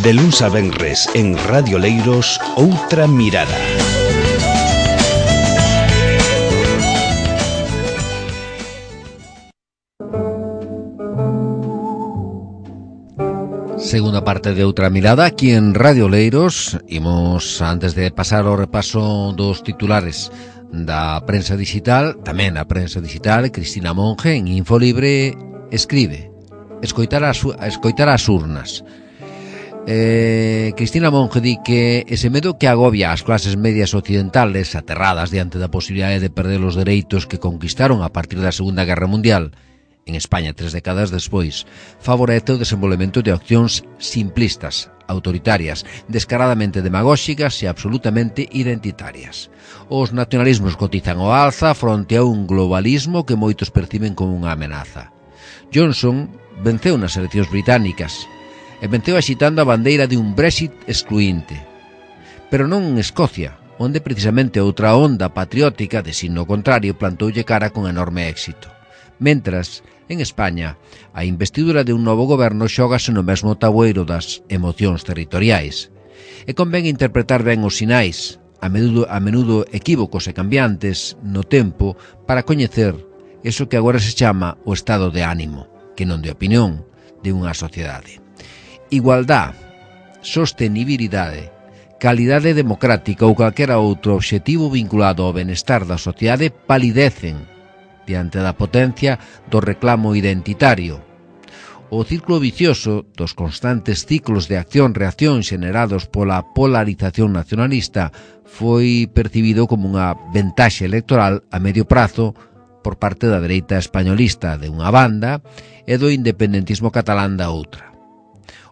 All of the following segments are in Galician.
De luns a venres en Radio Leiros, Outra Mirada. Segunda parte de Outra Mirada aquí en Radio Leiros. Imos, antes de pasar ao repaso dos titulares da prensa digital, tamén a prensa digital, Cristina Monge en Infolibre escribe: escoitar as urnas. Cristina Monge di que ese medo que agobia as clases medias occidentales aterradas diante da posibilidade de perder os dereitos que conquistaron a partir da Segunda Guerra Mundial en España 3 décadas despois, favorece o desenvolvemento de accións simplistas, autoritarias, descaradamente demagóxicas e absolutamente identitarias. Os nacionalismos cotizan ao alza fronte a un globalismo que moitos perciben como unha amenaza. Johnson venceu nas eleccións británicas e venceu axitando a bandeira de un Brexit excluinte. Pero non en Escocia, onde precisamente outra onda patriótica de signo contrario plantoulle cara con enorme éxito. Mentras, en España, a investidura de un novo goberno xógase no mesmo tabueiro das emocións territoriais. E convén interpretar ben os sinais, a menudo equívocos e cambiantes no tempo, para coñecer eso que agora se chama o estado de ánimo, que non de opinión, de unha sociedade. Igualdad, sostenibilidade, calidade democrática ou calquera outro obxectivo vinculado ao benestar da sociedade palidecen diante da potencia do reclamo identitario. O círculo vicioso dos constantes ciclos de acción-reacción xenerados pola polarización nacionalista foi percibido como unha ventaxe electoral a medio prazo por parte da dereita españolista de unha banda e do independentismo catalán da outra.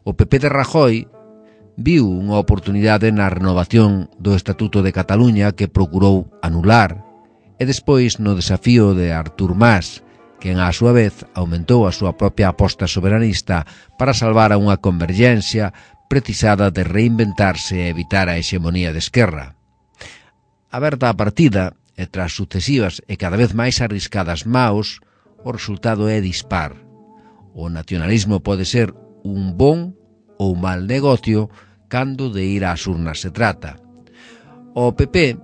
O PP de Rajoy viu unha oportunidade na renovación do Estatuto de Cataluña que procurou anular, e despois no desafío de Artur Mas, quen á súa vez aumentou a súa propia aposta soberanista para salvar a unha convergencia precisada de reinventarse e evitar a hexemonía de Esquerra. Aberta a partida, e tras sucesivas e cada vez máis arriscadas maos, o resultado é dispar. O nacionalismo pode ser un bon ou mal negocio cando de ir ás urnas se trata. O PP,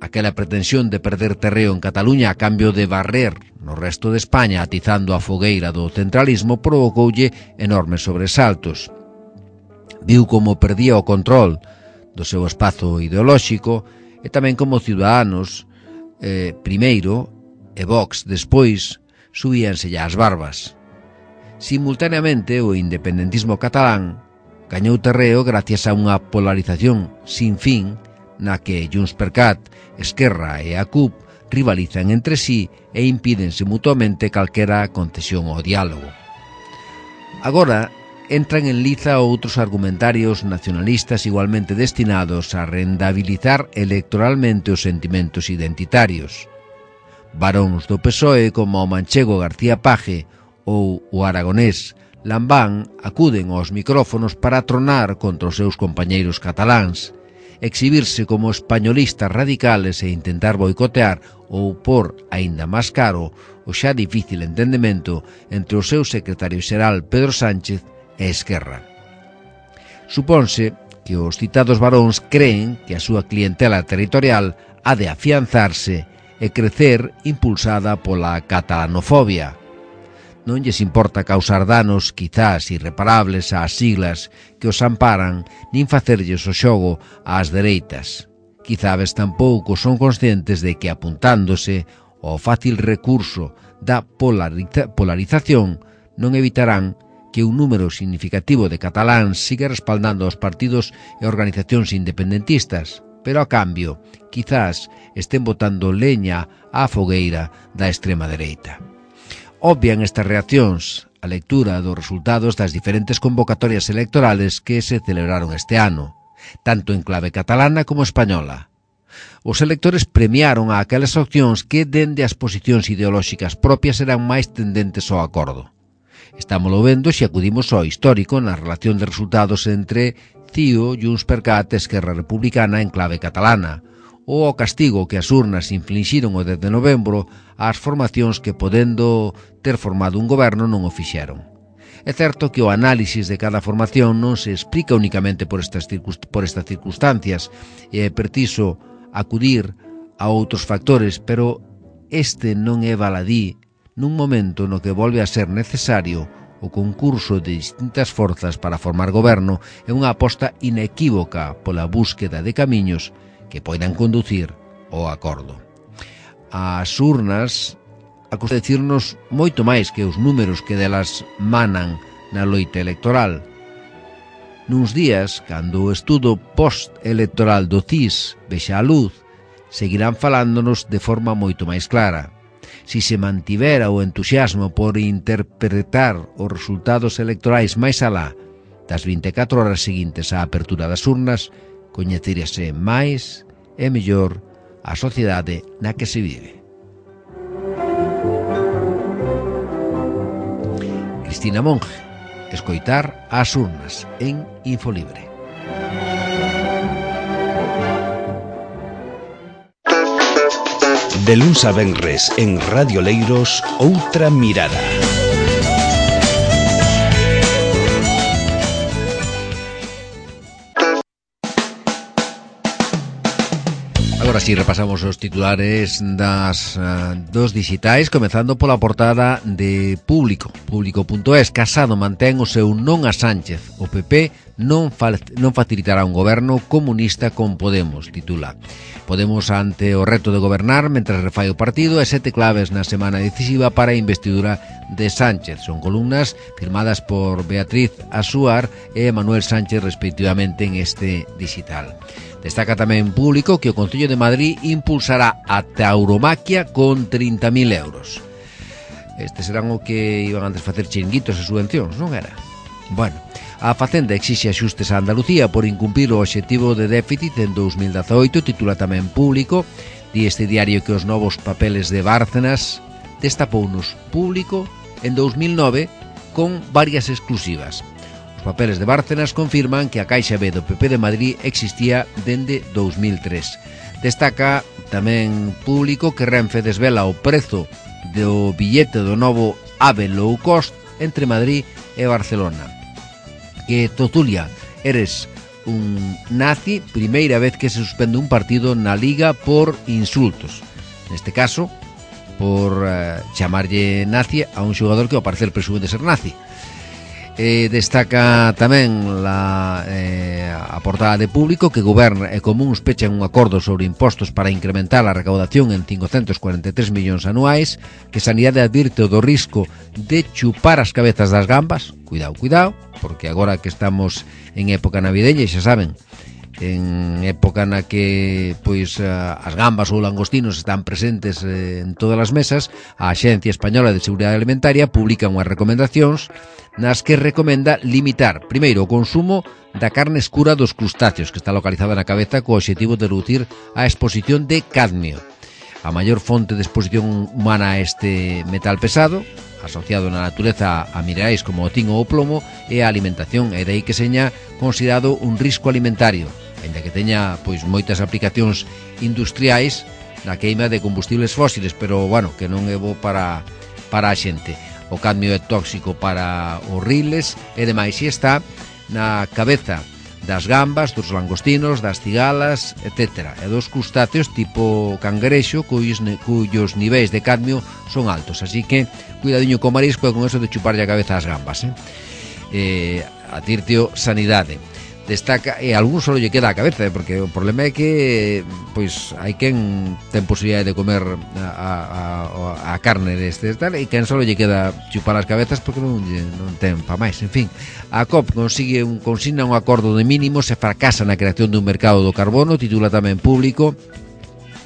aquela pretensión de perder terreo en Cataluña a cambio de barrer no resto de España atizando a fogueira do centralismo, provocoulle enormes sobresaltos. Viu como perdía o control do seu espazo ideolóxico e tamén como Ciudadanos primeiro e Vox despois subíanselle as barbas. Simultaneamente, o independentismo catalán gañou terreo gracias a unha polarización sin fin na que JxCat, Esquerra e a CUP rivalizan entre sí e impídense mutuamente calquera concesión ao diálogo. Agora entran en liza outros argumentarios nacionalistas igualmente destinados a rendabilizar electoralmente os sentimentos identitarios. Baróns do PSOE como o manchego García Page ou o aragonés Lambán acuden aos micrófonos para tronar contra os seus compañeiros cataláns, exhibirse como españolistas radicales e intentar boicotear ou por aínda máis caro o xa difícil entendemento entre o seu secretario xeral Pedro Sánchez e Esquerra. Supónse que os citados varóns creen que a súa clientela territorial ha de afianzarse e crecer impulsada pola catalanofobia. Non lles importa causar danos quizás irreparables ás siglas que os amparan nin facerlles o xogo ás dereitas. Quizás tampouco son conscientes de que apuntándose ao fácil recurso da polarización non evitarán que un número significativo de cataláns siga respaldando os partidos e organizacións independentistas, pero a cambio quizás estén botando leña á fogueira da extrema dereita. Obvian estas reaccións a lectura dos resultados das diferentes convocatorias electorales que se celebraron este ano, tanto en clave catalana como española. Os electores premiaron a aquelas opcións que, dende as posicións ideolóxicas propias, eran máis tendentes ao acordo. Estámoslo vendo se acudimos ao histórico na relación de resultados entre CIO, JxCat e Esquerra Republicana en clave catalana, ou ao castigo que as urnas inflixiron o 10 de novembro ás formacións que, podendo ter formado un goberno, non o fixeron. É certo que o análisis de cada formación non se explica únicamente por estas circunstancias, e é preciso acudir a outros factores, pero este non é baladí nun momento no que volve a ser necesario o concurso de distintas forzas para formar goberno é unha aposta inequívoca pola búsqueda de camiños que poidan conducir ao acordo. As urnas acostuman decirnos moito máis que os números que delas manan na loita electoral. Nuns días, cando o estudo post-electoral do CIS vexa a luz, seguirán falándonos de forma moito máis clara. Si se mantivera o entusiasmo por interpretar os resultados electorais máis alá das 24 horas seguintes á apertura das urnas, coñeceríase máis e mellor a sociedade na que se vive. Cristina Monge, escoitar as urnas en Infolibre. De luns a venres en Radio Leiros, Outra Mirada. Agora si repasamos os titulares dos digitais, comezando pola portada de Público. Público.es. Casado mantén o seu non a Sánchez. O PP non facilitará un goberno comunista con Podemos, titula. Podemos ante o reto de gobernar mentre refai o partido e 7 claves na semana decisiva para a investidura de Sánchez. Son columnas firmadas por Beatriz Asuar e Manuel Sánchez respectivamente en este digital. Destaca tamén Público que o Concello de Madrid impulsará a tauromaquia con 30.000 euros. Estes serán o que iban antes facer chiringuitos e subvencións, non era? Bueno, a Facenda exixe axustes a Andalucía por incumprir o obxectivo de déficit en 2018, titula tamén Público. Di este diario que os novos papeles de Bárcenas destapounos Público en 2009 con varias exclusivas. Os papeles de Bárcenas confirman que a Caixa B do PP de Madrid existía dende 2003. Destaca tamén Público que Renfe desvela o prezo do billete do novo AVE low cost entre Madrid e Barcelona. Que Tozulia, eres un nazi, primeira vez que se suspende un partido na Liga por insultos. Neste caso, por chamarlle nazi a un xogador que ao parecer presume de ser nazi. Destaca tamén a portada de Público que Goberno e Comuns pechan un acordo sobre impostos para incrementar a recaudación en 543 millóns anuais, que Sanidade advirte do risco de chupar as cabezas das gambas. Cuidado, porque agora que estamos en época navideña, xa saben, en época na que pois as gambas ou langostinos están presentes en todas as mesas, a Axencia Española de Seguridade Alimentaria publica unhas recomendacións nas que recomenda limitar, primeiro, o consumo da carne escura dos crustáceos, que está localizada na cabeza co obxectivo de reducir a exposición de cadmio. A maior fonte de exposición humana a este metal pesado, asociado na natureza a minerais como o tin ou o plomo, é a alimentación, e dai que seña considerado un risco alimentario, ainda que teña pois moitas aplicacións industriais na queima de combustibles fósiles, pero bueno, que non é bo para a xente. O cadmio é tóxico para os riles e demais, e está na cabeza das gambas, dos langostinos, das cigalas, etc. E dos crustáceos tipo cangrexo, cuyos niveis de cadmio son altos. Así que, cuidadiño co marisco e con eso de chuparlle a cabeza ás gambas. Advirtio Sanidade. Destaca, e a algún solo lle queda a cabeza, porque o problema é que pois hai quen ten posibilidade de comer a carne destes tal, e quen solo lle queda chupar as cabezas porque non ten pa máis. En fin, a COP consigna un acordo de mínimos e fracasa na creación dun mercado do carbono, titula tamén Público.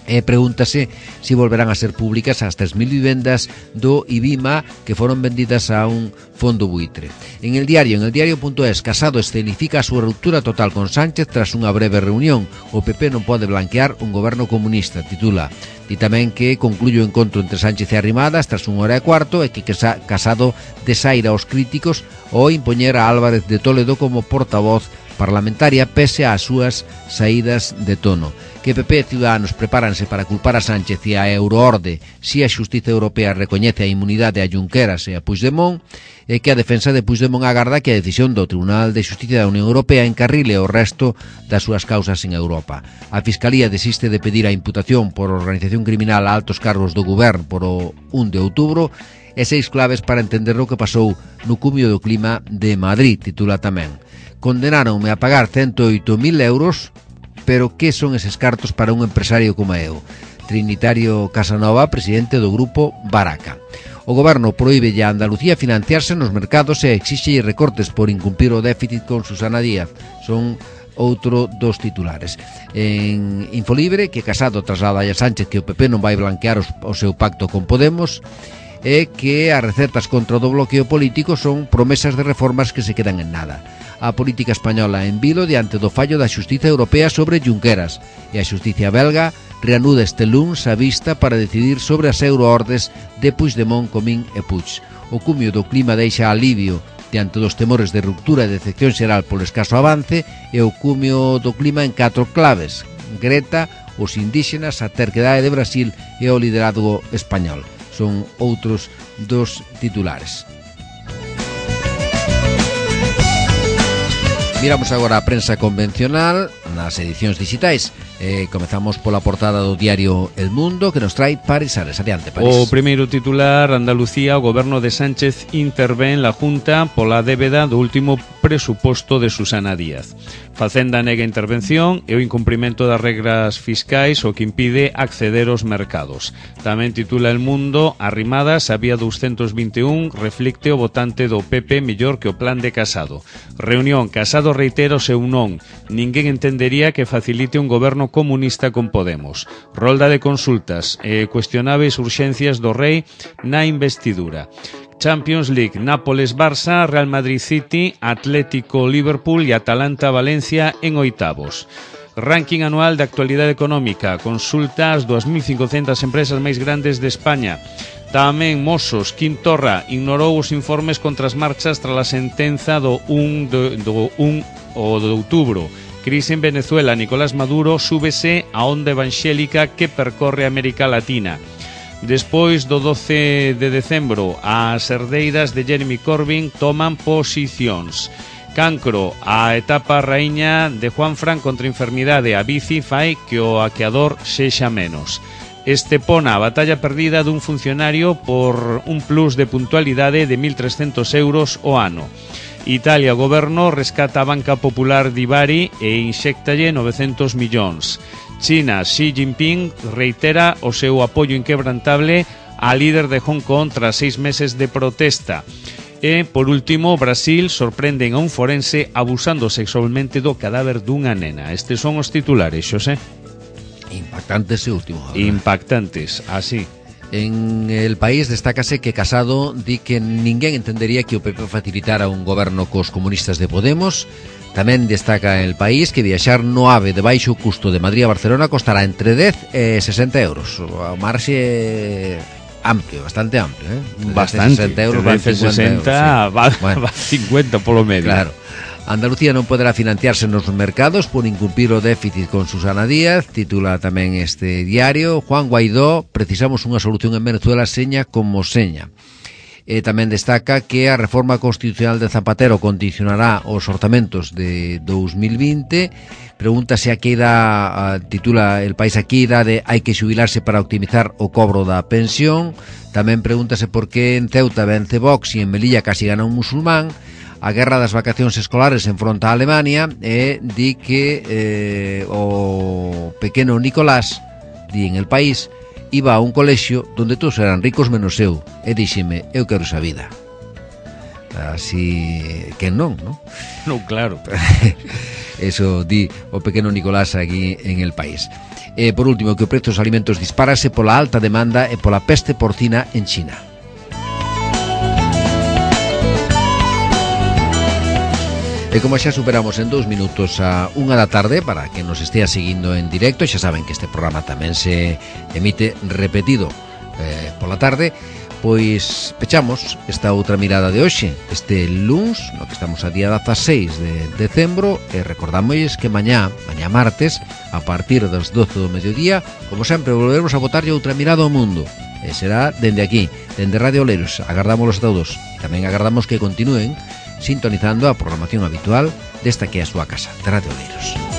E pregúntase se volverán a ser públicas as 3.000 vivendas do IBIMA que foron vendidas a un fondo buitre. En el diario.es, Casado escenifica a súa ruptura total con Sánchez tras unha breve reunión. O PP non pode blanquear un goberno comunista, titula. E tamén que concluye o encontro entre Sánchez e Arrimadas tras 1 hora e cuarto, e que Casado desaira aos críticos ao impoñer a Álvarez de Toledo como portavoz parlamentaria pese ás súas saídas de tono. Que PP e Ciudadanos prepáranse para culpar a Sánchez e a Euroorde si a Xustiza Europea recoñece a inmunidade a Junqueras e a Puigdemont, e que a defensa de Puigdemont agarda que a decisión do Tribunal de Xustiza da Unión Europea encarrile o resto das súas causas en Europa. A Fiscalía desiste de pedir a imputación por organización criminal a altos cargos do goberno por o 1 de outubro e 6 claves para entender o que pasou no cumio do clima de Madrid, titula tamén. Condenaronme a pagar 108.000 euros, pero que son eses cartos para un empresario como eu? Trinitario Casanova, presidente do grupo Baraca. O goberno proíbe a Andalucía financiarse nos mercados e exixe recortes por incumprir o déficit con Susana Díaz. Son outro dos titulares. En Infolibre, que Casado traslada a Sánchez que o PP non vai blanquear o seu pacto con Podemos e que as recetas contra o do bloqueo político son promesas de reformas que se quedan en nada. A política española en vilo diante do fallo da Xustiza Europea sobre Junqueras e a Xustiza belga reanuda este luns a vista para decidir sobre as euroordes de Puigdemont, Comín e Puig. O cumio do clima deixa alivio diante dos temores de ruptura e decepción xeral polo escaso avance e o cumio do clima en 4 claves: Greta, os indígenas, a terquedade de Brasil e o liderazgo español. Son outros dos titulares. Miramos agora a prensa convencional nas edicións digitais. Comezamos pola portada do diario El Mundo, que nos trae París Ares. Adiante, París. O primeiro titular: Andalucía, o goberno de Sánchez intervén la Junta pola débeda do último presuposto de Susana Díaz. Facenda nega intervención e o incumprimento das regras fiscais o que impide acceder aos mercados. Tamén titula El Mundo: Arrimadas, a vía 221 reflicte o votante do PP mellor que o plan de Casado. Reunión: Casado reitera o seu non. Ninguén entendería que facilite un goberno comunista con Podemos. Rolda de consultas e cuestionáveis urxencias do rei na investidura. Champions League: Nápoles-Barça, Real Madrid-City, Atlético-Liverpool e Atalanta-Valencia en oitavos. Ranking anual de actualidade económica. Consulta as 2.500 empresas máis grandes de España. Tamén Mossos, Quintorra ignorou os informes contra as marchas tras a sentenza do 1 de outubro. Crise en Venezuela: Nicolás Maduro súbese a onda evangélica que percorre América Latina. Despois do 12 de decembro, as herdeiras de Jeremy Corbyn toman posicións. Cancro: a etapa raíña de Juanfran contra a enfermidade. A bici fai que o aqueador sexa menos. Estepona: a batalla perdida dun funcionario por un plus de puntualidade de 1.300 euros o ano. Italia: o goberno rescata a Banca Popular de Bari e inxéctalle 900 millóns. China: Xi Jinping reitera o seu apoio inquebrantable á líder de Hong Kong tras 6 meses de protesta. E, por último, Brasil: sorprenden a un forense abusando sexualmente do cadáver dunha nena. Estes son os titulares, Xosé. Impactantes e último. Impactantes, así. En El País destácase que Casado di que ninguén entendería que o PP facilitara un goberno cos comunistas de Podemos. Tamén destaca El País que viaxar no AVE de baixo custo de Madrid a Barcelona costará entre 10 e 60 euros. O marxe amplio, bastante amplio, Bastante. 60 euros, 60 euros, sí. Va 50 polo medio. Claro. Andalucía non poderá financiarse nos mercados por incumprir o déficit con Susana Díaz, titula tamén este diario. Juan Guaidó: precisamos unha solución en Venezuela seña como seña. Tamén destaca que a reforma constitucional de Zapatero condicionará os orzamentos de 2020. Pregúntase a que idade, titula El País, a que idade hai que xubilarse para optimizar o cobro da pensión. Tamén pregúntase por que en Ceuta vence Vox e en Melilla casi gana un musulmán. A guerra das vacacións escolares enfronta a Alemania e di que o pequeno Nicolás, di en El País, iba a un colexio donde todos eran ricos menos eu e díxeme, eu quero esa vida. Así que non, non? Non, claro. Eso di o pequeno Nicolás aquí en El País. Por último, que o prezo dos alimentos dispárase pola alta demanda e pola peste porcina en China. E como xa superamos en 2 minutos a 1 da tarde, para que nos estea seguindo en directo, xa saben que este programa tamén se emite repetido pola tarde, Pois pechamos esta outra mirada de hoxe, este luns, no que estamos a día 16 de decembro, e recordámosles que mañá martes, a partir das 12 do mediodía, como sempre, volveremos a botarlle outra mirada ao mundo. E será dende aquí, dende Radio Oleiros. Agardámoslos todos. Tamén agardamos que continúen sintonizando a programación habitual desta que é a súa casa, de Radio Oleiros.